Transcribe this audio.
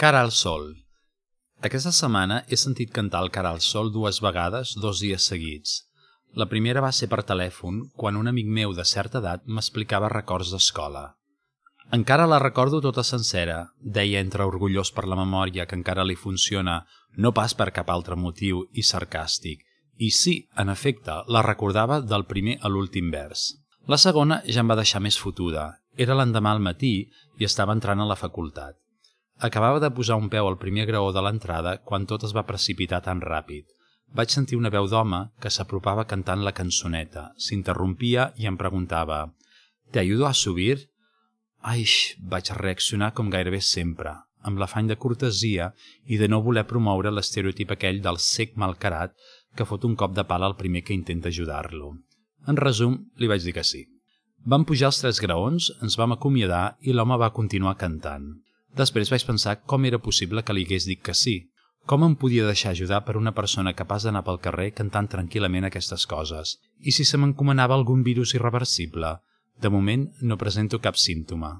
Cara al sol. Aquesta setmana he sentit cantar el Cara al sol 2 vegades 2 dies seguits. La primera va ser per telèfon, quan un amic meu de certa edat m'explicava records d'escola. Encara la recordo tota sencera, deia entre orgullós per la memòria que encara li funciona, no pas per cap altre motiu i sarcàstic. I sí, en efecte, la recordava del primer a l'últim vers. La segona ja em va deixar més fotuda. Era l'endemà al matí i estava entrant a la facultat. Acabava de posar un peu al primer graó de l'entrada quan tot es va precipitar tan ràpid. Vaig sentir una veu d'home que s'apropava cantant la cançoneta, s'interrompia i em preguntava «¿Te ayudo a subir?» Aix, vaig reaccionar com gairebé sempre, amb l'afany de cortesia i de no voler promoure l'estereotip aquell del cec malcarat que fot un cop de pala al primer que intenta ajudar-lo. En resum, li vaig dir que sí. Vam pujar els 3 graons, ens vam acomiadar i l'home va continuar cantant. Després vaig pensar com era possible que li hagués dit que sí. Com em podia deixar ajudar per una persona capaç d'anar pel carrer cantant tranquil·lament aquestes coses? I si se m'encomanava algun virus irreversible? De moment no presento cap símptoma.